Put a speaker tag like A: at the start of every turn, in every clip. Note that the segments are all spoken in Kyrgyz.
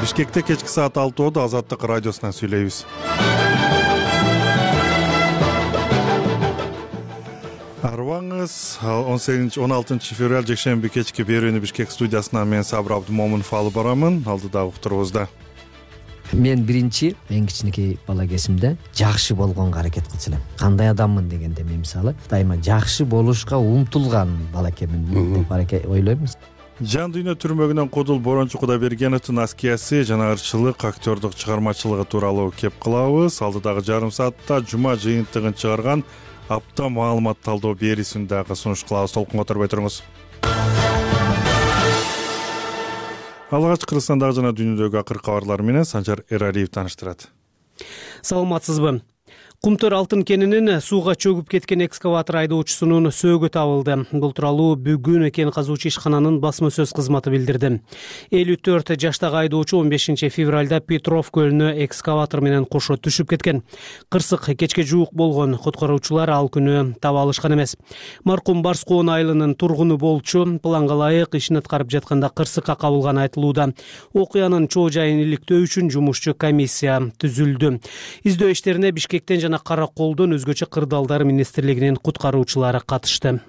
A: Бишкекте кечки саат 6:00 Азаттык радиосунан сүйлөйбүз. Арыбаңыз 16 февраль жекшемби кечки берүүнү Бишкек студиясынан мен Сабыр Абдымомунов алып барамын. Алдыдагы уктурубузда
B: мен биринчи мен кичинекей бала кезимде жакшы болгонго аракет кылчу элем. Кандай адаммын дегенде мен мисалы дайыма жакшы болушка умтулган бала экенмин деп ойлойм.
A: Жан дүйнө түрмөгүнөн Кудул Борончу Кудайбергеновдун аскиясы жана ырчылык, актёрдук чыгармачылыгы тууралуу кеп кылабыз. Алдыдагы жарым саатта жума жыйынтыгын чыгарган апта маалымат талдоо берүүсүн дагы сунуш кылабыз. Толкунга оторбой туруңуз. Алгач Кыргызстандагы жана дүйнөдөгү акыркы кабарлар менен Санжар Эралиев тааныштырат.
C: Саламатсызбы? Кумтөр алтын кенинин сууга чөгүп кеткен экскаватор айдоочусунун сөөгү табылды. Бул тууралуу бүгүн кен казуучу ишкананын басма сөз кызматы билдирди. 54 жаштагы айдоочу 15 февралда Петров көлүнө экскаватор менен кошо түшүп кеткен. Кырсык кечке жуук болгон. Куткаруучулар ал күнү таба алышкан эмес. Маркум Барскоон айылынын тургуну болчу. Планга ылайык ишин аткарып жатканда кырсыкка кабылганы айтылууда. Окуянын чоо жайын иликтөө үчүн жумушчу комиссия түзүлдү. Издөө иштерине Бишкектен жана Кара Колдон өзгөчө кырдаалдар министрлигинин куткаруучулары катышты.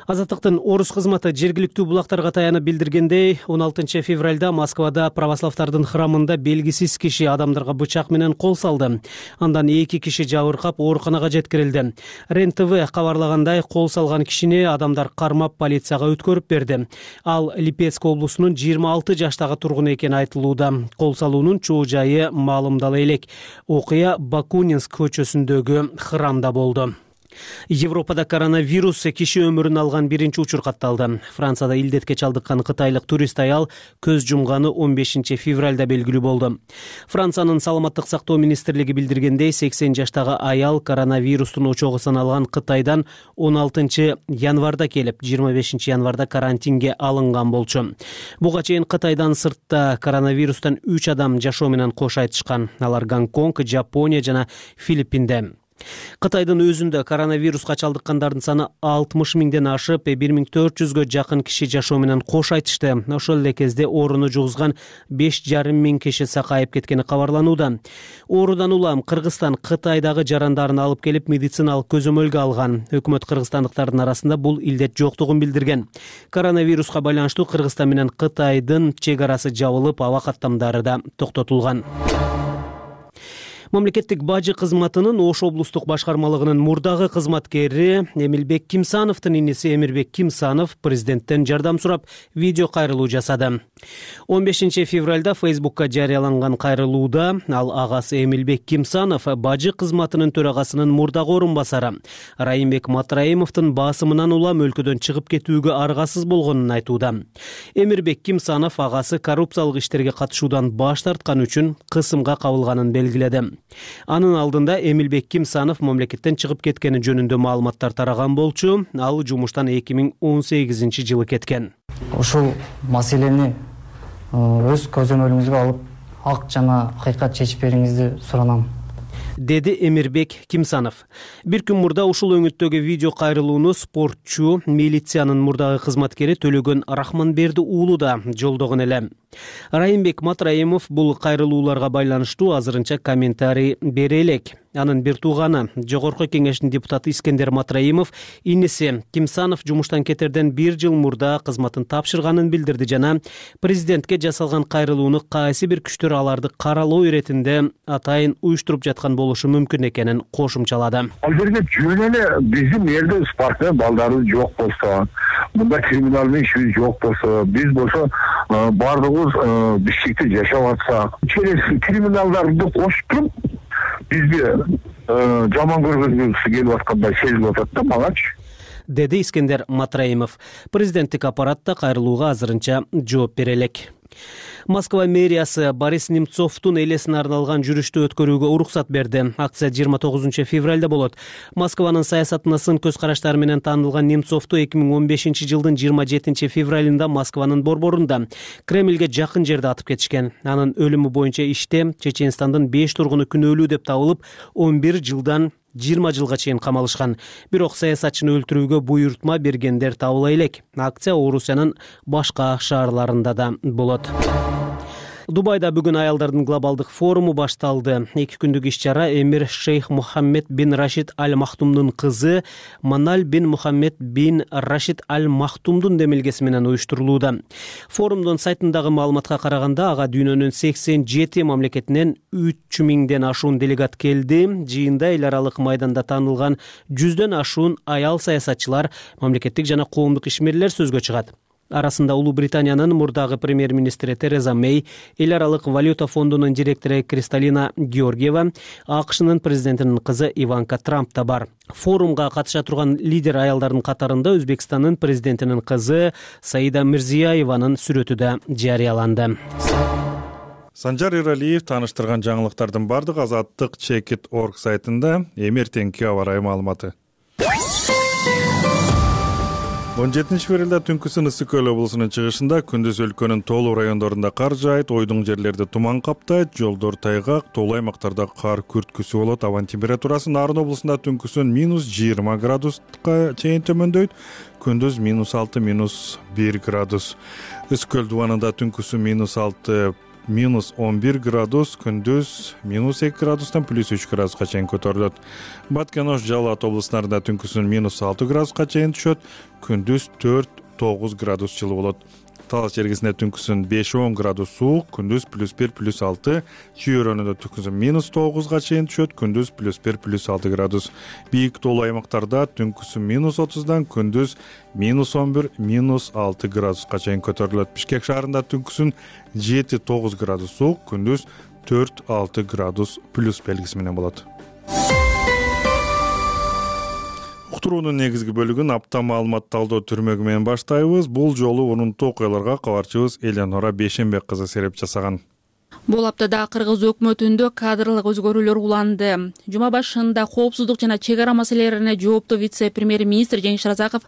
C: Азаттыктын орус кызматы жергиликтүү булактарга таянып билдиргендей, 16 февралда Москвада православдардын храмында белгисиз киши адамдарга бычак менен кол салды. Андан 2 киши жабыркап ооруканага жеткирилди. РЕН-ТВ кабарлагандай, кол салган кишини адамдар кармап полицияга өткөрүп берди. Ал Липецк облусунун 26 жаштагы тургуну экени айтылууда. Кол салуунун чоо жайы маалымдала элек. Окуя Бакунинск көчөсүндөгү храмда болду. Европада коронавирус киши өмүрүн алган биринчи учур катталды. Францияда илдетке чалдыккан кытайлык турист аял көз жумганы 15 февралда белгилүү болду. Франциянын саламаттык сактоо министрлиги билдиргендей, 80 жаштагы аял коронавирустун очогу саналган Кытайдан 16 январда келип, 25 январда карантинге алынган болчу. Буга чейин Кытайдан сыртта коронавирустан 3 адам жашоо менен кош айтышкан. Алар Гонконг, Жапония жана Филиппинде. Кытайдын өзүндө коронавируска чалдыккандардын саны 60 миңден ашып, 1400гө жакын киши жашоо менен кош айтышты. Ошол эле кезде ооруну жугузган 5,5 миң киши сакайып кеткени кабарланууда. Оорудан улам Кыргызстан Кытайдагы жарандарын алып келип медициналык көзөмөлгө алган. Өкмөт кыргызстандыктардын арасында бул илдет жоктугун билдирген. Коронавируска байланыштуу Кыргызстан менен Кытайдын чек арасы жабылып, аба каттамдары да токтотулган. Мамлекеттик бажы кызматынын Ош облустук башкармалыгынын мурдагы кызматкери Эмилбек Кимсановдун иниси Эмирбек Кимсанов президенттен жардам сурап видео кайрылуу жасады. 15 февралда Фейсбукка жарыяланган кайрылууда ал агасы Эмилбек Кимсанов бажы кызматынын төрагасынын мурдагы орун басары Райымбек Матраимовдун басымынан улам өлкөдөн чыгып кетүүгө аргасыз болгонун айтууда. Эмирбек Кимсанов агасы коррупциялык иштерге катышуудан баш тарткан үчүн кысымга кабылганын белгиледи. Анын алдында Эмилбек Кимсанов мамлекеттен чыгып кеткени жөнүндө маалыматтар тараган болчу. Ал жумуштан 2018 жылы кеткен.
D: Ушул маселени өз көзөмөлүңүзгө алып, ак жана акыйкат чечип бериңизди суранам,
C: деди Эмирбек Кимсанов. Бир күн мурда ушул өңүттөгү видео кайрылууну спортчу, милициянын мурдагы кызматкери Төлөгөн Рахманберди уулу да жолдогон эле. Райымбек Матраимов бул кайрылууларга байланыштуу азырынча комментарий бере элек. Анын бир тууганы, Жогорку кеңештин депутаты Искендер Матраимов иниси Кимсанов жумуштан кетерден 1 жыл мурда кызматын тапшырганын билдирди жана президентке жасалган кайрылууну кайсы бир күчтөр аларды каралоо иретинде атайын уюштуруп жаткан болушу мүмкүн экенин кошумчалады.
E: Ал жерде жөн эле биздин элде спортта балдарыбыз жок болсо, мында криминалдык ишибиз жок болсо, биз болсо бардыгыбыз Бишкекте жашап атсак, через криминалдарды кошуп туруп бизди жаман көргөнүбүз келип аткандай сезилип атат да мангачы,
C: деди Искендер Матраимов. Президенттик аппаратта кайрылууга азырынча жооп бере элек. Москва мэриясы Борис Немцовдун элесине арналган жүрүштү өткөрүүгө уруксат берди. Акция 29 февралда болот. Москванын саясатына сын көз караштары менен таанылган Немцовду 2015 жылдын 27 февралында Москванын борборунда Кремльге жакын жерде атып кетишкен. Анын өлүмү боюнча иште Чеченстандын 5 тургуну күнөөлүү деп табылып, 11 жылдан 20 жылга чейин камалышкан. Бирок саясатчыны өлтүрүүгө буйртма бергендер табыла элек. Акция Орусиянын башка шаарларында да болот. Дубайда бүгүн аялдардын глобалдык форуму башталды. 2 күндүк иш-чара эмир Шейх Мухаммед бин Рашид Аль Махтумдун кызы Маналь бин Мухаммед бин Рашид Аль Махтумдун демилгеси менен уюштурулууда. Форумдун сайтындагы маалыматка караганда, ага дүйнөнүн 87 мамлекетинен 3000ден ашуун делегат келди. Жыйында эл аралык майданда таанылган 100дөн ашуун аял саясатчылар, мамлекеттик жана коомдук ишмерлер сөзгө чыгат. Арасында Улуу Британиянын мурдагы премьер-министри Тереза Мэй, эл аралык валюта фондунун директору Кристалина Георгиева, АКШнын президентинин кызы Иванка Трамп да бар. Форумга катыша турган лидер аялдардын катарында Өзбекстандын президентинин кызы Саида Мирзиёеванын сүрөтү да жарыяланды.
A: Санжар Иралиев тааныштырган жаңылыктардын бардыгы Азаттык Чекит.org сайтында. Эмертеңки аба ырайы маалыматы. 17-февралда түнкүсүн Ысык Көл облусунун чыгышында, күндүз өлкөнүн тоолуу райондорунда кар жаайт, ойдуң жерлерде туман каптайт, жолдор тайгак, тоолуу аймактарда кар күрткүсү болот. Абанын температурасы Нарын облусунда түнкүсүн -20 градуска чейин төмөндөйт, күндүз -6, -1 градус. Ысык Көл дубанында түнкүсүн -6, -11 градус, күндүз -2 градустан +3 градуска чейин көтөрүлөт. Баткен Ош Жалал облустарында түнкүсүн -6 градуска чейин түшөт, күндүз 4-9 градус жылы болот. Талас жергесинде түнкүсүн 5-10 градус суук, күндүз +1, +6, Чүй өрөөнүндө түнкүсүн -9га чейин түшөт, күндүз +1, +6 градус. Бийик тоолуу аймактарда түнкүсүн -30дан, күндүз -11, -6 градуска чейин көтөрүлөт. Бишкек шаарында түнкүсүн 7-9 градус суук, күндүз 4-6 градус плюс белгиси менен болот. Уктуруунун негизги бөлүгүн апта маалымат талдоо түрмөгү менен баштайбыз. Бул жолу урунттуу окуяларга кабарчыбыз Элеонора Бейшенбек кызы сереп жасаган.
F: Бул аптада Кыргыз өкмөтүндө кадрлык өзгөрүүлөр уланды. Жума башында коопсуздук жана чек ара маселелерине жооптуу вице-премьер-министр Жеңиш Разаков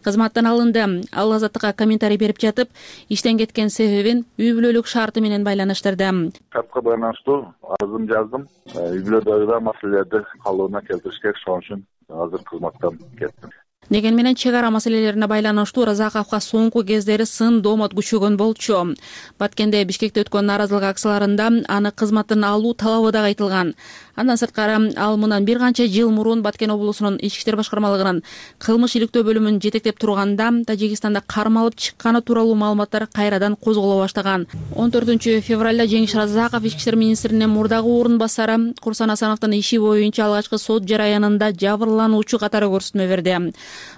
F: кызматтан алынды. Ал Азаттыкка комментарий берип жатып, иштен кеткен себебин үй бүлөлүк шарты менен байланыштырды.
G: Шартка байланыштуу арызым жаздым. Үй бүлөдөгү маселелерди калыбына келтириш керек, ошон үчүн азыр кызматтан кеттим.
F: Деген менен чек ара маселелерине байланыштуу Разаковго соңку кездери сын доомот күчөгөн болчу. Баткенде Бишкекте өткөн нааразылык акцияларында аны кызматтан алуу талабы дагы айтылган. Андан сырткары ал мындан бир канча жыл мурун Баткен облусунун Ички иштер башкармалыгынын кылмыш иликтөө бөлүмүн жетектеп турганда Тажикстанда кармалып чыкканы тууралуу маалыматтар кайрадан козголо баштаган. 14 февралда Жеңиш Разаков Ички иштер министринин мурдагы орун басары Курсан Асановдун иши боюнча алгачкы сот жараянында жабырлануучу катары көрсөтмө берди.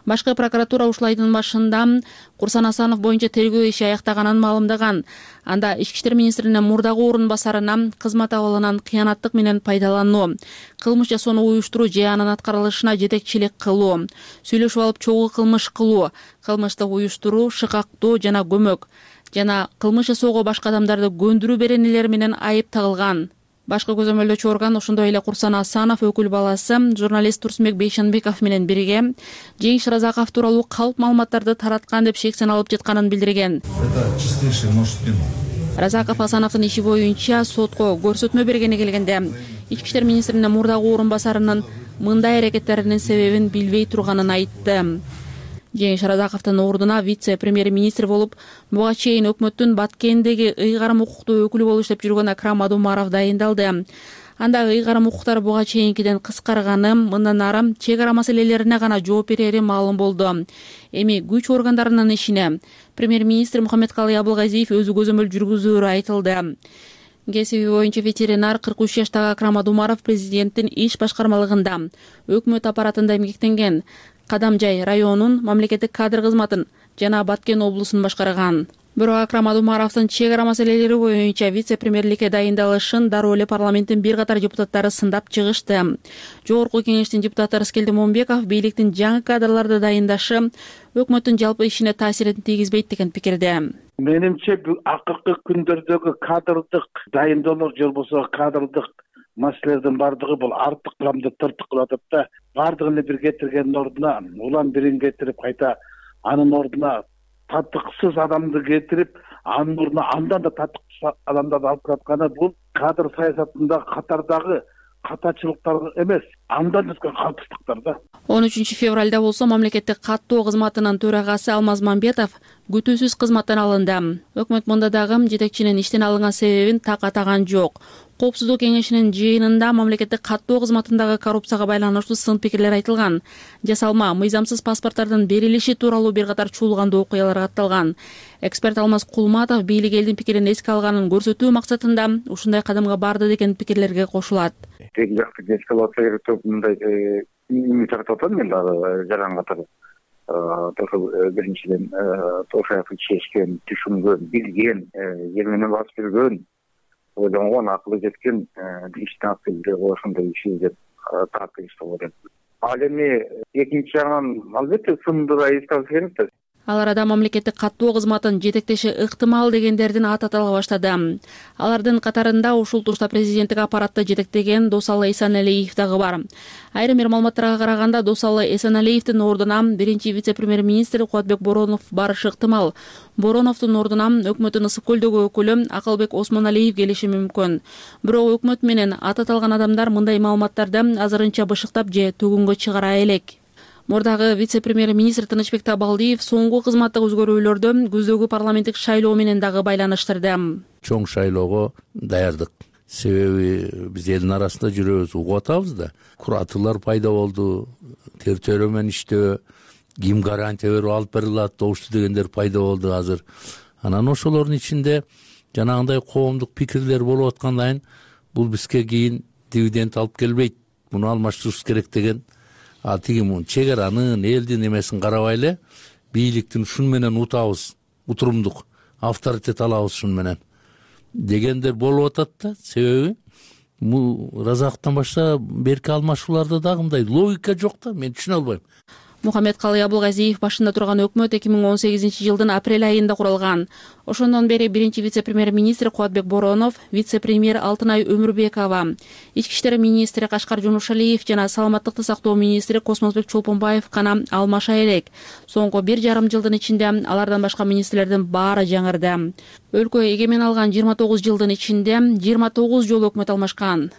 F: Башкы прокуратура ушул айдын башында Курсан Асанов боюнча тергөө иши аяктаганын маалымдаган. Анда Ички иштер министринин мурдагы орун басарына кызмат абалынан кыянаттык менен пайдалануу, кылмыш жасоону уюштуруу же анын аткарылышына жетекчилик кылуу, сүйлөшүп алып чогуу кылмыш кылуу, кылмышты уюштуруу, шыкактоо жана көмөк жана кылмыш жасоого башка адамдарды көндүрүү беренелери менен айып тагылган. Башкы көзөмөлдөөчү орган ошондой эле Курсан Асанов өкүл баласы журналист Турсунбек Бейшенбеков менен бирге Жеңиш Разаков тууралуу калп маалыматтарды тараткан деп шексен алып жатканын билдирген.
H: Это чистейший множественный.
F: Разаков Асановдун иши боюнча сотко көрсөтмө бергени келгенде Ички иштер министринин мурдагы орун басарынын мындай аракеттеринин себебин билбей турганын айтты. Жеңиш Разаковдун ордуна вице-премьер-министр болуп буга чейин өкмөттүн Баткендеги ыйгарым укуктуу өкүлү болуп иштеп жүргөн Акрам Адумаров дайындалды. Анда ыйгарым укуктар буга чейинкиден кыскарганы, мындан ары чек ара маселелерине гана жооп берери маалым болду. Эми күч органдарынын ишине премьер-министр Мухаммедкалый Абылгазиев өзү көзөмөл жүргүзөөрү айтылды. Кесиби боюнча ветеринар 43 жаштагы Акрам Адумаров президенттин иш башкармалыгында өкмөт аппаратында эмгектенген. Кадамжай районунун мамлекеттик кадр кызматын жана Баткен облусун башкарган. Бирок Акрам Адумаровдун чек ара маселелери боюнча вице-премьерликке дайындалышын дароо эле парламенттин бир катар депутаттары сындап чыгышты. Жогорку кеңештин депутаты Рыскелди Момбеков бийликтин жаңы кадрларды дайындашы өкмөттүн жалпы ишине таасирин тийгизбейт деген пикирде.
I: Менимче акыркы күндөрдөгү кадрдык дайындоолор же болбосо кадрдык маселелердин бардыгы бул артык кыламды тыртык кылып атат да, бардыгын бир кетиргендин ордуна улам бирин кетирип кайта анын ордуна татыксыз адамды кетирип, анын ордуна андан да татыксыз адамдарды алып келатканы бул кадр саясатында катардагы катачылыктар эмес, андан өткөн калпсыздыктар да.
F: 13 февралда болсо мамлекеттик каттоо кызматынын төрагасы Алмаз Мамбетов күтүүсүз кызматтан алынды. Өкмөт мында дагы жетекчинин иштен алынган себебин так атаган жок. Коопсуздук кеңешинин жыйынында мамлекеттик каттоо кызматындагы коррупцияга байланыштуу сын пикирлер айтылган. Жасалма, мыйзамсыз паспорттардын берилиши тууралуу бир катар чуулгандуу окуялар катталган. Эксперт Алмаз Кулматов бийлик элдин пикирин эске алганын көрсөтүү максатында ушундай кадамга барды деген пикирлерге кошулат.
E: Тең жакты эскалация керек деп мындай үмүт артып атам мен дагы жаран катары. Биринчиден Тошаевди чечкен, түшүнгөн, билген, жер менен басып жүргөн, ойлонгон, акылы жеткен иштин акылы ошондой иши деп таап ойлойм. Ал эми экинчи жагынан албетте сынды да эске алыш керек да.
F: Алар да мамлекеттик каттоо кызматын жетектеши ыктымал дегендердин аты атала баштады. Алардын катарында ушул тушта президенттик аппаратты жетектеген Досалы Эсеналиев дагы бар. Айрым бир маалыматтарга караганда Досалы Эсеналиевдин ордуна биринчи вице-премьер-министр Кубатбек Боронов барышы ыктымал. Бороновдун ордуна өкмөттүн Ысык көлдөгү өкүлү Акылбек Осмоналиев келиши мүмкүн. Бирок өкмөт менен аты аталган адамдар мындай маалыматтарды азырынча бышыктап же төгүнгө чыгара элек. Мурдагы вице-премьер-министр Тынычбек Табалдиев соңку кызматтык өзгөрүүлөрдү күздөгү парламенттик шайлоо менен дагы байланыштырды.
J: Чоң шайлоого даярдык. Себеби биз элдин арасында жүрөбүз, угуп атабыз да. Куратылар пайда болду, тертөрө менен иштөө, ким гарантия берип алып бере алат, добушту дегендер пайда болду азыр. Анан ошолордун ичинде жанагындай коомдук пикирлер болуп аткандан бул бизге кийин дивиденд алып келбейт. Муну алмаштырыш керек деген тиги чек аранын, элдин эмесин карабай эле бийликтин ушун менен утабыз, утурумдук авторитет алабыз ушун менен дегендер болуп атат да. Себеби Разаковдон башка берки алмашууларда дагы мындай логика жок да, мен түшүнө албайм.
F: Мухаммедкалый Абылгазиев башында турган өкмөт 2018-жылдын апрель айында курулган. Ошондон бери биринчи вице-премьер-министр Кубатбек Боронов, вице-премьер Алтынай Өмүрбекова, ички иштер министри Кашкар Жунушалиев жана саламаттыкты сактоо министри Космосбек Чолпонбаев гана алмаша элек. Соңку 1,5 жылдын ичинде алардан башка министрлердин баары жаңырды. Өлкө эгемен алган 29 жылдын ичинде 29 жолу өкмөт алмашкан.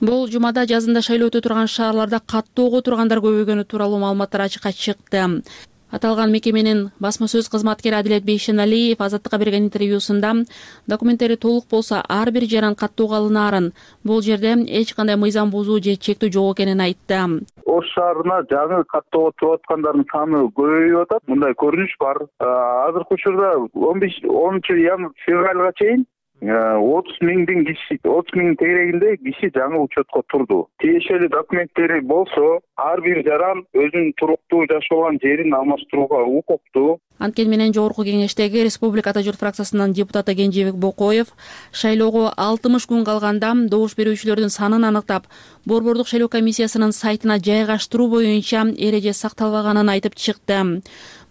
F: Бул жумада жазында шайлоо өтө турган шаарларда каттоого тургандар көбөйгөнү тууралуу маалыматтар ачыкка чыкты. Аталган мекеменин басма сөз кызматкери Адилет Бейшеналиев Азаттыкка берген интервьюсунда документтери толук болсо ар бир жаран каттоого алынаарын, бул жерде эч кандай мыйзам бузуу же чектөө жок экенин айтты.
G: Ош шаарына жаңы каттоого туруп аткандардын саны көбөйүп атат. Мындай көрүнүш бар. Азыркы учурда 10-февралга чейин 30 миңдин киши, 30 миң тегерегинде киши жаңы учетко турду. Тиешелүү документтери болсо, ар бир жаран өзүнүн туруктуу жашаган жерин алмаштырууга укуктуу.
F: Анткени менен Жогорку кеңештеги Республика Ата Журт фракциясынын депутаты Кенжебек Бокоев шайлоого 60 күн калганда добуш берүүчүлөрдүн санын аныктап, Борбордук шайлоо комиссиясынын сайтына жайгаштыруу боюнча эреже сакталбаганын айтып чыкты.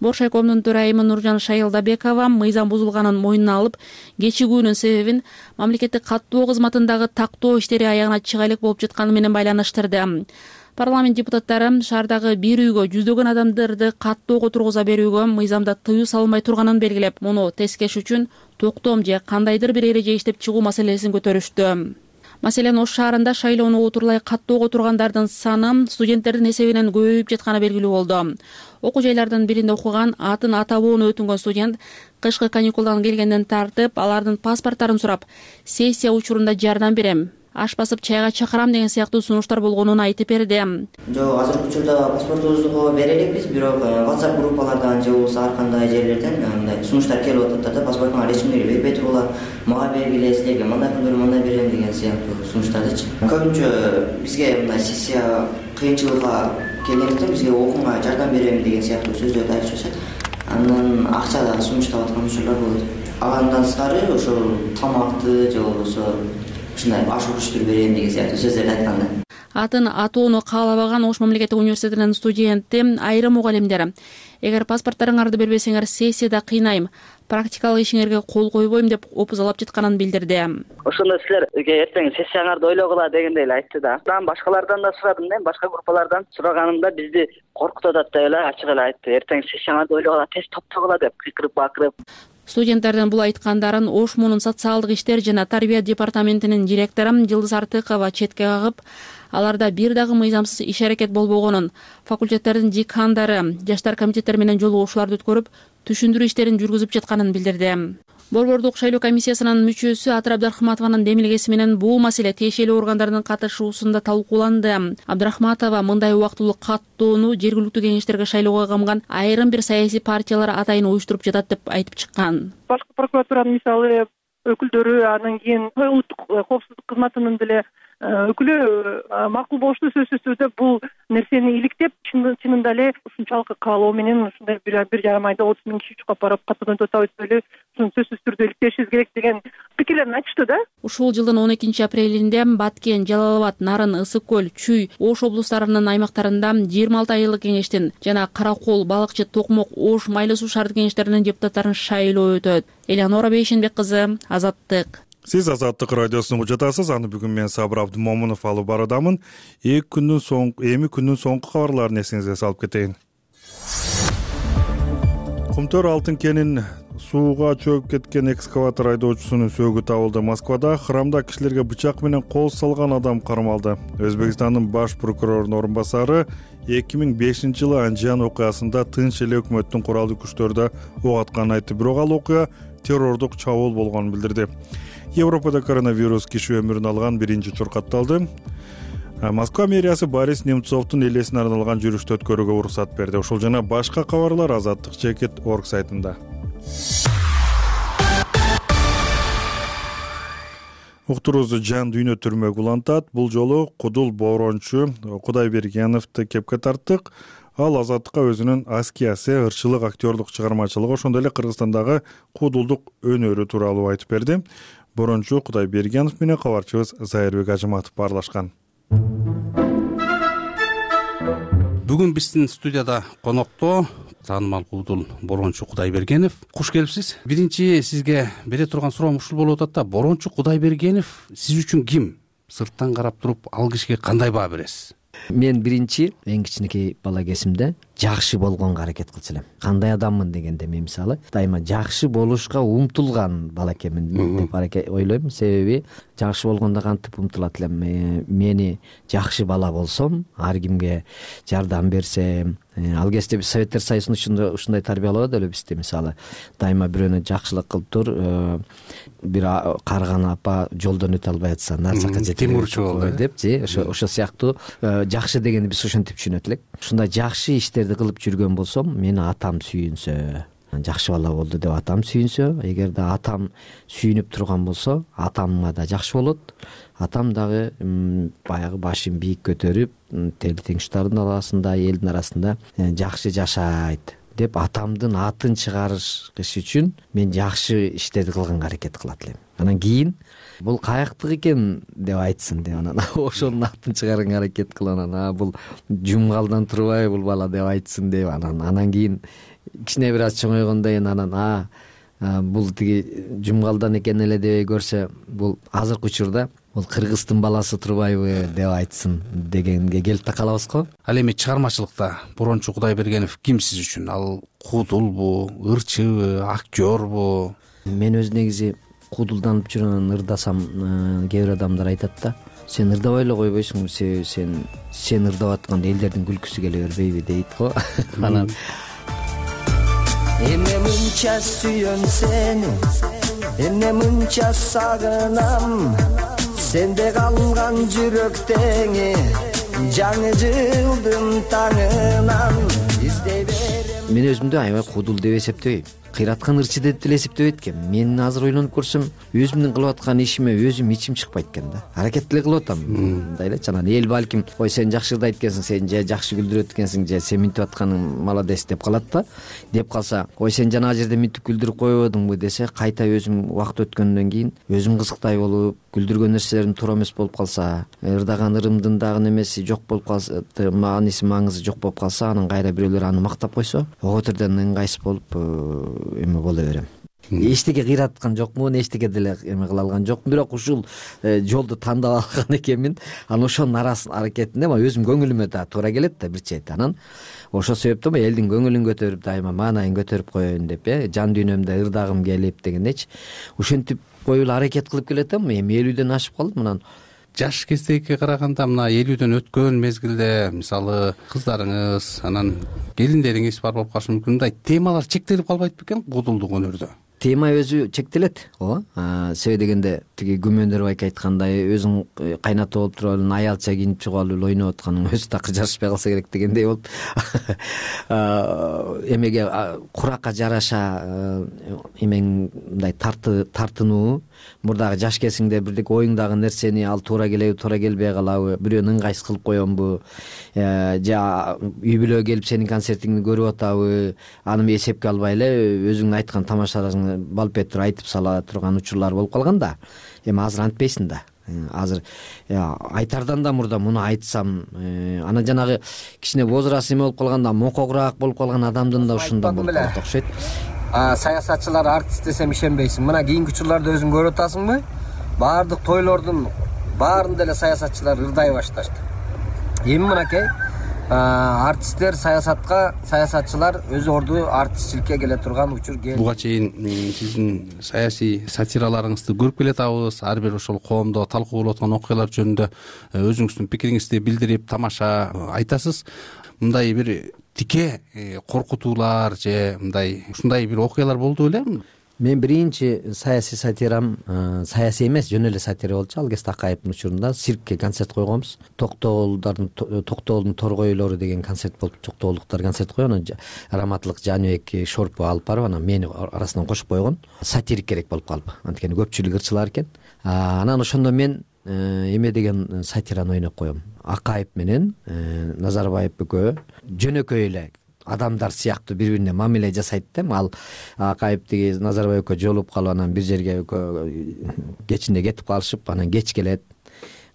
F: Боршайкомдун төрайымы Нуржан Шайылдабекова мыйзам бузулганын мойнуна алып, кечигүүнүн себебин мамлекеттик каттоо кызматындагы тактоо иштери аягына чыга элек болуп жатканы менен байланыштырды. Парламент депутаттары шаардагы бир үйгө жүздөгөн адамдарды каттоого тургуза берүүгө мыйзамда тыюу салынбай турганын белгилеп, муну тескеш үчүн токтом же кандайдыр бир эреже иштеп чыгуу маселесин көтөрүштү. Маселен, Ош шаарында шайлоону отурлай каттоого тургандардын саны студенттердин эсебинен көбөйүп жатканы белгилүү болду. Окуу жайлардын биринде окуган, атын атабоону өтүнгөн студент кышкы каникулдан келгенден тартып, алардын паспорттарын сурап, сессия учурунда жардам берем, аш басып чайга чакырам деген сыяктуу сунуштар болгонун айтып берди.
K: Жок, азыркы учурда паспортубузду бере элекпиз, бирок WhatsApp группалардан же болбосо ар кандай жерлерден мындай сунуштар келип атат да, паспортуңа ресмийлери бербей тургула, мага бергиле, силерге мындай кылдырам, мындай берем деген сыяктуу сунуштардычы. Көбүнчө бизге мындай сессия кыйынчылыкка келгендиктен бизге окууга жардам берем деген сыяктуу сөздөрдү айтып жатышат. Андан акча дагы сунуштап аткан учурлар болот. Андан сырткары ошол тамакты же болбосо ушундай аш-ушуктур берем деген сыяктуу сөздөрдү айтканда.
F: Атын атоону каалабаган Ош мамлекеттик университетинин студенти айрым мугалимдер: эгер паспорттарыңарды бербесеңер, сессияда кыйнайм, практикалык ишиңерге кол койбойм деп опузалап жатканын билдирди.
L: Ошондо силерге эртең сессияңарды ойлогула дегендей эле айтты да. Мен башкалардан да сурадым, башка группалардан сураганымда бизди коркутуп атат деп эле ачык эле айтты. Эртең сессияңарды ойлогула, тез топтогула деп кыйкырып бакырып.
F: Студенттердин бул айткандарын Ош муунун социалдык иштер жана тарбия департаментинин директору Жылдыз Артыкова четке кагып, аларда бир дагы мыйзамсыз иш-аракет болбогонун, факультеттердин декандары жаштар комитеттери менен жолугушууларды өткөрүп, түшүндүрүү иштерин жүргүзүп жатканын билдирди. Борбордук шайлоо комиссиясынын мүчөсү Атыр Абдрахматованын демилгеси менен бул маселе тиешелүү органдардын катышуусунда талкууланды. Абдрахматова мындай убактылуу каттоону жергиликтүү кеңештерге шайлоого камган айрым бир саясий партиялар атайын уюштуруп жатат деп айтып чыккан.
M: Башкы прокуратуранын мисалы өкүлдөрү, анан кийин улуттук коопсуздук кызматынын деле өкүлү макул болушту. Сөзсүз түрдө бул нерсени иликтеп, чынында эле ушунчалык каалоо менен ушундай бир жарым айда 30 000 киши чукап барып каттоодон өтө эле сөзсүз түрдө иликтешибиз керек деген пикирлерин айтышты да.
F: Ушул жылдын 12 апрелинде Баткен, Жалал Абад, Нарын, Ысык көл, Чүй, Ош облустарынын аймактарында 26 айылык кеңештин жана Каракол, Балыкчы, Токмок, Ош, Майлы суу шаардык кеңештеринин депутаттарын шайлоо өтөт. Элеонора Бейшенбек кызы, Азаттык.
A: Сиз Азаттык радиосун угуп жатасыз. Аны бүгүн мен Сабыр Абдымомунов алып барадамын. Эми күндүн соңку кабарларын эсиңизге салып кетейин. Кумтөр алтын кенин сууга чөгүп кеткен экскаватор айдоочусунун сөөгү табылды. Москвада храмда кишилерге бычак менен кол салган адам кармалды. Өзбекстандын баш прокурорунун орун басары 2005-жылы Анжан окуясында тынч эле өкмөттүн куралдуу күчтөрү ок атканын айтты. Бирок ал окуя террордук чабуул болгонун билдирди. Европада коронавирус киши өмүрүн алган биринчи чуркатталды. Москва мэриясы Борис Немцовдун элесине арналган жүрүштү өткөрүүгө уруксат берди. Ушул жана башка кабарлар Азаттык.org сайтында. Уктуруусу жан дүйнө түрмөгү улантат. Бул жолу Кудул Борончу Кудайбергеновду кепке тарттык. Ал Азаттыкка өзүнүн аскиясы, ырчылык, актерлук чыгармачылыгы, ошондой эле Кыргызстандагы куудулдук өнөрү тууралуу айтып берди. Борончу Кудайбергенов менен кабарчыбыз Зайырбек Ажыматов баарлашкан.
N: Бүгүн биздин студияда конокто таанымал куудул Борончу Кудайбергенов. Куш келипсиз. Биринчи сизге бере турган суроом ушул болуп атат да. Борончу Кудайбергенов сиз үчүн ким? Сырттан карап туруп ал кишиге кандай баа бересиз?
B: Мен биринчи эң кичинекей бала кезимде жакшы болгонго аракет кылчу элем. Кандай адаммын дегенде мен мисалы дайыма жакшы болушка умтулган бала экенмин деп ойлойм. Себеби жакшы болгондо кантип умтулат элем. Мени жакшы бала болсом, ар кимге жардам берсем, ал кезде биз Советтер Союзунда ушундай тарбиялоо деле бизди мисалы дайыма бирөөнө жакшылык кылып тур, бир карган апа жолдон өтө албай атса нарсакка
N: темурчу болду
B: депчи, ошо сыяктуу жакшы дегенди биз ошентип түшүнөт элек. Ушундай жакшы иштерди кылып жүргөн болсом, мени атам сүйүнсө, жакшы бала болду деп атам сүйүнсө, эгерде атам сүйүнүп турган болсо, атамга да жакшы болот. Атам дагы баягы башын бийик көтөрүп, тел теңштардын арасында, элдин арасында жакшы жашайт деп атамдын атын чыгарыш үчүн мен жакшы иштерди кылганга аракет кылат элем. Анан кийин бул каяктык экен деп айтсын деп анан ошонун атын чыгарганга аракет кылып анан бул жумгалдан турбайбы бул бала деп айтсын деп анан кийин кичине бир аз чоңойгондон кийин анан бул тиги жумгалдан экен эле дебей көрсө бул азыркы учурда бул кыргыздын баласы турбайбы деп айтсын дегенге келип такалабыз го.
N: Ал эми чыгармачылыкта Борончу Кудайбергенов ким сиз үчүн? Ал куудулбу, ырчыбы, актёрбу?
B: Мен өз негизи куудулданып жүргөн ырдасам, кээ бир адамдар айтат да, сен ырдабай эле койбойсуңбу, сен ырдап атканда элдердин күлкүсү келе бербейби дейт го. Анан эмне мынча сүйөн сени, эмне мынча сагынам, сенде калган жүрөктөңү жаңы жылдын таңынан издей берем. Мен өзүмдү аябай куудул деп эсептебейм. Кыйраткан ырчы деп деле эсептебейт экен. Мен азыр ойлонуп көрсөм, өзүмдүн кылып аткан ишиме өзүм ичим чыкпайт экен да. Аракет деле кылып атам. Мындай эле анан эл балким, ой сен жакшы ырдайт экенсиң, сен же жакшы күлдүрөт экенсиң, же сен минтип атканың молодец деп калат да. Деп калса, ой сен жана жерде минтип күлдүрүп койбодуңбу десе, кайта өзүм убакыт өткөндөн кийин өзүм кызыктай болуп, күлдүргөн нерселерим туура эмес болуп калса, ырдаган ырымдын дагы немеси жок болуп калса, мааниси маңызы жок болуп калса, анан кайра бирөөлөр аны мактап койсо, ого түрдөн ыңгайсыз болуп эме боло берем. эчтеке кыйраткан жокмун, эчтеке деле эме кыла алган жокмун, бирок ушул жолду тандап алган экенмин. Анан ошонун аракетинде өзүм көңүлүмө да туура келет да бир чети. Анан ошол себептен элдин көңүлүн көтөрүп, дайыма маанайын көтөрүп коеюн деп, жан дүйнөмдө ырдагым келип дегендейчи. Ошентип коюп аракет кылып келатам. Эми 50дөн ашып калдым. Анан
N: жаш кездегиге караганда мына 50дөн өткөн мезгилде мисалы кыздарыңыз, анан келиндериңиз бар болуп калышы мүмкүн. Мындай темалар чектелип калбайт бекен куудулдук өнөрдө?
B: Тема өзү чектелет, себеби дегенде тиги Күмөндөр байке айткандай, өзүң кайната болуп туруп эле аялча кийинип чыгып алып ойноп атканың өзү такыр жарашпай калса керек дегендей болуп эмеге куракка жараша эмең мындай тартынуу, мурдагы жаш кезиңде бирдеке оюңдагы нерсени ал туура келеби, туура келбей калабы, бирөөнү ыңгайсыз кылып коембу, же үй бүлөгө келип сенин концертиңди көрүп атабы, аны эсепке албай эле өзүңдүн айткан тамашаларыңды балпет туруп айтып сала турган учурлар болуп калган да. Эми азыр антпейсиң да. Азыр айтардан да мурда муну айтсам, анан жанагы кичине возраст эме болуп калганда, мокогураак болуп калган адамдын да ушундан болуп калат окшойт. Саясатчылар артист десем ишенбейсиң. Мына кийинки учурларда өзүң көрүп атасыңбы? Баардык тойлордун баарында эле саясатчылар ырдай башташты. Эми мынакей артисттер саясатчылар өз орду артистчиликке келе турган учур келди.
N: Буга чейин сиздин саясий сатираларыңызды көрүп келатабыз. Ар бир ошол коомдо талкуу болуп аткан окуялар жөнүндө өзүңүздүн пикириңизди билдирип, тамаша айтасыз. Мындай бир тике коркутуулар же мындай ушундай бир окуялар болду беле?
B: Мен биринчи саясий сатирам саясий эмес, жөн эле сатира болчу. Алгес Такаевдин учурунда циркке концерт койгонбуз. Токтоолдун торгойлору деген концерт болуп, токтоолдуктар концерт койгон. Анан Раматлык Жаныбек Шорпу алып барып, анан мени арасынан кошуп койгон. Сатирик керек болуп калды. Анткени көпчүлүк ырчылар экен. Анан ошондо мен эме деген сатираны ойноп коем. Акаев менен Назарбаев экөө жөнөкөй эле адамдар сыяктуу бири-бирине мамиле жасайт да. Ал Акаев тиги Назарбаевке жолугуп калып, анан бир жерге кечинде кетип калышып, анан кеч келет.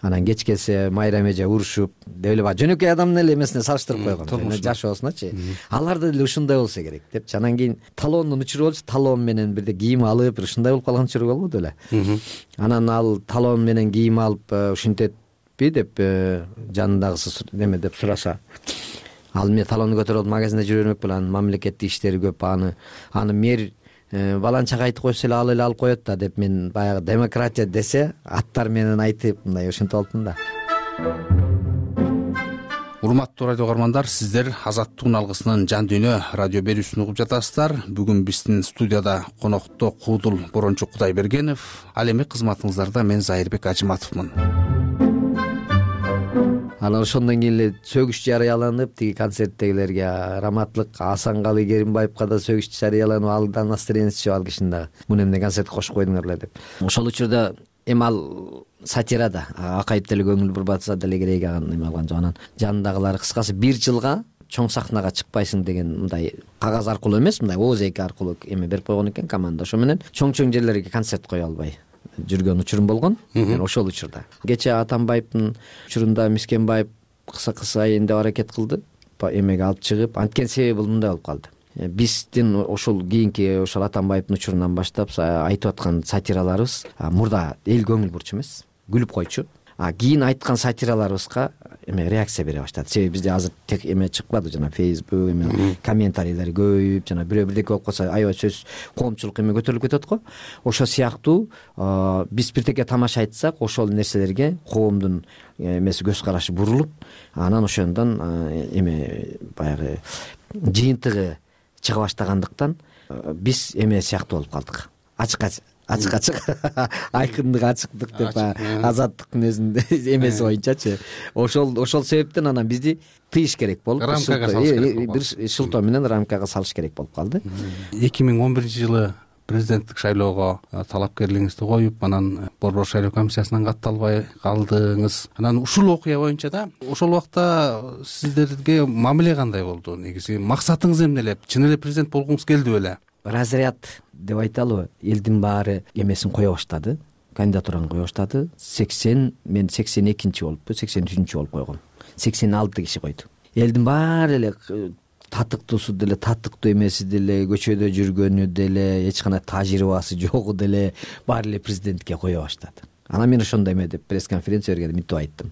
B: Анан кеч келсе майра эже урушуп деп эле жөнөкөй адамдын эле эмесине салыштырып койгон. Жашоосуначы. Аларда деле ушундай болсо керек деп. Анан кийин талондун учуру болчу. Талон менен бирде кийим алып, бир ушундай болуп калган учуру болбоду эле. Анан ал талон менен кийим алып ушинтетпи деп жанындагысы неме деп сураса, ал мен талонду көтөрүп магазинде жүрө бермек беле, анын мамлекеттик иштери көп, аны мэр баланчага айтып койсо эле ал эле алып коет да деп, мен баягы демократия десе аттар менен айтып мындай ушинтип алыптым да.
N: Урматтуу радио угармандар, сиздер Азаттыктын алгысынын жан дүйнө радио берүүсүн угуп жатасыздар. Бүгүн биздин студияда конокто Куудул Борончу Кудайбергенов, ал эми кызматыңыздарда мен Зайырбек Ажыматовмун.
B: Анан ошондон кийин эле сөгүш жарыяланып, тиги концерттегилерге Раматлык Асанкалы Керимбаевка да сөгүш жарыяланып, алдан настроениясы чыгып, ал кишини дагы муну эмне концертке кошуп койдуңар эле деп. Ошол учурда эми ал сатирада Акаев деле көңүл бурбатса деле керек, аны эме алган жок. Анан жанындагылар кыскасы 1 жылга чоң сахнага чыкпайсың деген мындай кагаз аркылуу эмес, мындай ооз-эки аркылуу эме берип койгон экен команда. Ошо менен чоң жерлерге концерт кое албай жүргөн учурум болгон. Мен ошол учурда кече Атамбаевдин учурунда Мискенбаев кыса айын деп аракет кылды, эмеге алып чыгып, анткени себеби бул мындай болуп калды. Биздин ошол кийинки ошол Атамбаевдин учурунан баштап айтып аткан сатираларыбыз мурда эл көңүл бурчу эмес, күлүп койчу. Кийин айткан сатираларыбызга эме реакция бере баштады. Себеби бизде азыр тек эме чыкпады, жана Facebook эме комментарийлер көбөйүп, жана бирөө бирдеке болуп калса аябай сөз коомчулук эме көтөрүлүп кетет го. Ошо сыяктуу биз бирдеке тамаша айтсак, ошол нерселерге коомдун эмеси көз карашы бурулуп, анан ошондон эме баягы жыйынтыгы чыга баштагандыктан биз эме сыяктуу болуп калдык. Ачык айкындык, ачыктык деп Азаттыктын өзүндө эмеси боюнчачы. Ошол себептен анан бизди тыйыш керек болуп, бир шылтоо менен рамкага салыш керек болуп калды.
N: 2011-жылы президенттик шайлоого талапкерлигиңизди коюп, анан Борбор шайлоо комиссиясынан катталбай калдыңыз. Анан ушул окуя боюнча да ошол убакта сиздерге мамиле кандай болду? Негизи максатыңыз эмне эле? Чын эле президент болгуңуз келди беле?
B: Разряд деп айталыбы, элдин баары эмесин кое баштады, кандидатураны кое баштады. Мен 82-болуппу, 83 болуп койгом. 86 киши койду. Элдин баары эле татыктуусу деле татыктуу эмеси деле көчөдө жүргөнү деле эч кандай тажрыйбасы жогу деле баары эле президентке кое баштады. Анан мен ошондой эме деп пресс конференция бергенде мынтип айттым: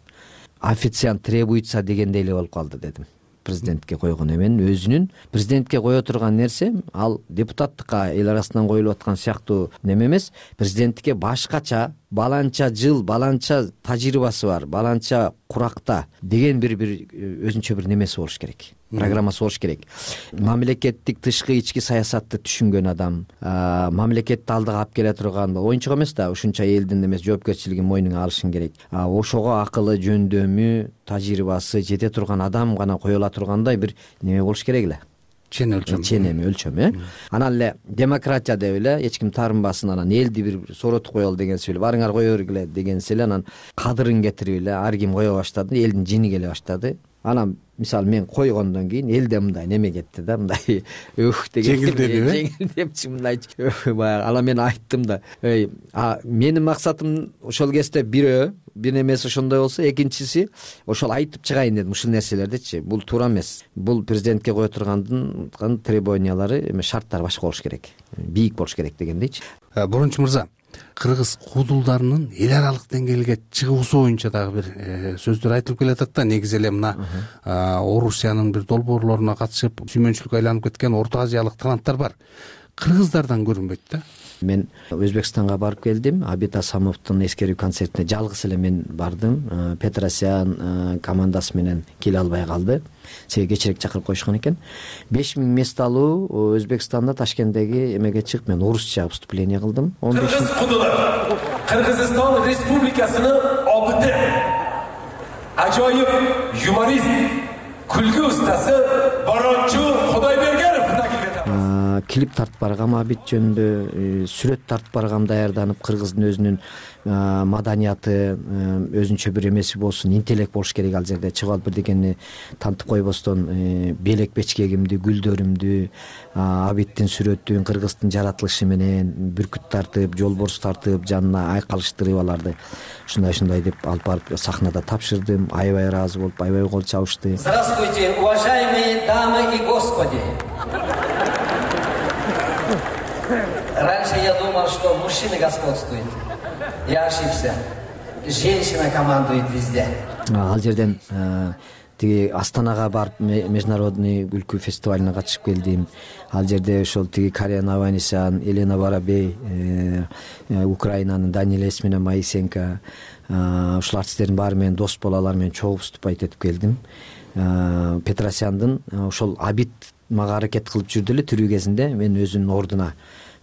B: официант требуется дегендей эле болуп калды дедим. Президентке койгон эменин өзүнүн президентке кое турган нерсе ал депутаттыкка эл арасынан коюлуп аткан сыяктуу неме эмес. Президенттикке башкача, баланча жыл, баланча тажрыйбасы бар, баланча куракта деген бир өзүнчө бир немеси болуш керек, программасы болуш керек. Мамлекеттик тышкы ички саясатты түшүнгөн адам, мамлекетти алдыга алып келе турган, оюнчук эмес да, ушунча элдин эмес жоопкерчилигин мойнуна алышың керек. Ошого акылы, жөндөмү, тажрыйбасы жете турган адам гана коюла тургандай бир неме болуш керек эле.
N: Чен
B: өлчөм. Анан эле демократия деп эле эч ким таарынбасын, анан элди бир сооротуп коелу дегенси эле, барыңар кое бергиле дегенси эле, анан кадырын кетирип эле ар ким кое баштады, элдин жини келе баштады. Анан мисалы мен койгондон кийин элде мындай неме кетти да, мындай деген жеңилдепчи мындай. Баягы анан мен айттым да, менин максатым ошол кезде бир немеси ошондой болсо, экинчиси ошол айтып чыгайын дедим ушул нерселердичи. Бул туура эмес. Бул президентке кое тургандын требованиялары эме шарттары башка болуш керек, бийик болуш керек дегендейчи.
N: Борончу мырза, кыргыз куудулдарынын эл аралык деңгээлге чыгуусу боюнча дагы бир сөздөр айтылып келатат да. Негизи эле мына Орусиянын бир долбоорлоруна катышып сүймөнчүлүккө айланып кеткен Орто Азиялык таланттар бар. Кыргыздардан көрүнбөйт да.
B: Мен Өзбекстанга барып келдим. Абит Асамовдун эскерүү концертине жалгыз эле мен бардым. Петросян командасы менен келе албай калды. Себеби кечирээк чакырып коюшкан экен. 5000 мест алуу Өзбекстанда Ташкенттеги эмеге чыгып мен орусча выступление кылдым.
O: Кыргыз кудулар Кыргызстан Республикасынын обити, ажайып юморист, күлгү устасы Борончу Кудайбергенов
B: клип тартып баргам Абит жөнүндө, сүрөт тартып баргам даярданып, кыргыздын өзүнүн маданияты, өзүнчө бир эмеси болсун, интеллект болуш керек ал жерде. Чыгып алып бирдекени тантып койбостон белек бечкегимди, гүлдөрүмдү, Абиттин сүрөтүн, кыргыздын жаратылышы менен бүркүт тартып, жолборс тартып, жанына айкалыштырып аларды ушундай деп алып барып сахнада тапшырдым. Аябай ыраазы болуп, аябай кол чабышты.
P: Здравствуйте, уважаемые дамы и господи. Раньше я думал, что мужчины господствуют. Я ошибся. Женщина командует везде.
B: Ал жерден тиги Астанага барып международный күлкү фестивалына катышып келдим. Ал жерде ошол тиги Карен Аванесян, Елена Воробей, Украинанын Данилес менен Моисенко, ушул артисттердин баары менен дос болуп, алар менен чогуу выступать этип келдим. Петросяндын ошол Абит мага аракет кылып жүрдү эле тирүү кезинде. Мен өзүнүн ордуна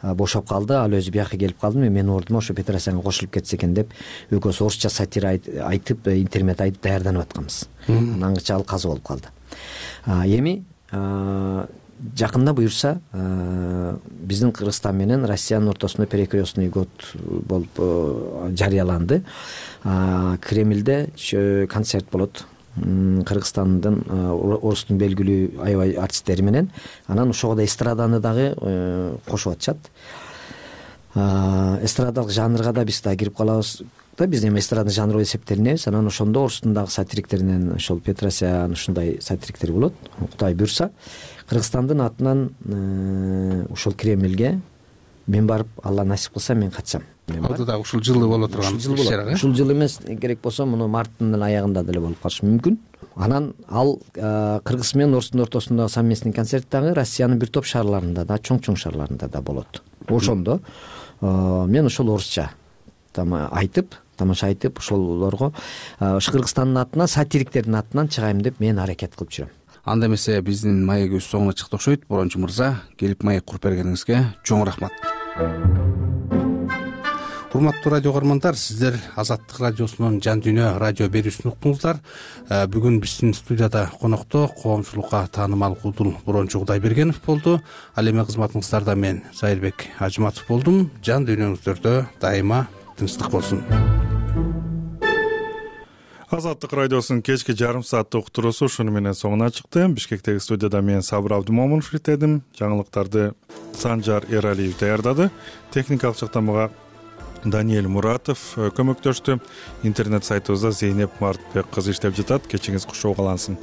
B: бошоп калды, ал өзү бияка келип калды. Менин ордума ошо Петросянга кошулуп кетсе экен деп экөөбүз орусча сатира айтып, интермет айтып даярданып атканбыз. Аңгыча ал каза болуп калды. Эми жакында буюрса биздин Кыргызстан менен Россиянын ортосунда перекрестный год болуп жарыяланды. Кремльде концерт болот. Кыргызстандын орустун белгилүү аябай артисттери менен. Анан ошого да эстраданы дагы кошуп атышат. Эстрадалык жанрга да биз да кирип калабыз да. Биз эми эстрадный жанр деп эсептелинебиз. Анан ошондо орустун дагы сатириктеринен ошол Петросян ушундай сатириктер болот. Кудай буйрса, Кыргызстандын атынан ошол Кремльге мен барып, Алла насип кылса мен катышам.
N: Анда да ушул жылы боло турган иш-чара.
B: Ушул жыл эмес, керек болсо муну марттын аягында деле болуп калышы мүмкүн. Анан ал Кыргыз менен орустун ортосундагы совместный концерт дагы Россиянын бир топ шаарларында да, чоң шаарларында да болот. Ошондо мен ошол орусча тамаша айтып, ошолорго Кыргызстандын атынан, сатириктердин атынан чыгайм деп мен аракет кылып жүрөм.
N: Анда эмесе биздин маегибиз соңуна чыкты окшойт. Борончу мырза, келип маек куруп бергениңизге чоң рахмат. Урматтуу радио көрөрмандар, сиздер Азаттык радиосунун Жан Дүйнө радио берүүсүн уктуңуздар. Бүгүн биздин студияда конокто коомчулукка таанымал куудул Борончу Кудайбергенов болду. Ал эми кызматыңыздарда мен Зайырбек Ажыматов болдум. Жан дүйнөңүздөрдө дайыма тынчтык болсун.
A: Азаттык радиосунун кечки жарым сааттык уктуруусу ушуну менен соңуна чыкты. Бишкектеги студияда мен Сабыр Абдымомунов иштедим. Жаңылыктарды Санжар Эралиев даярдады. Техникалык жактан мага Даниэль Муратов көмөктөштү. Интернет сайтыбызда Зейнеп Мартбек кызы иштеп жатат. Кечиңиз кушоо калансын.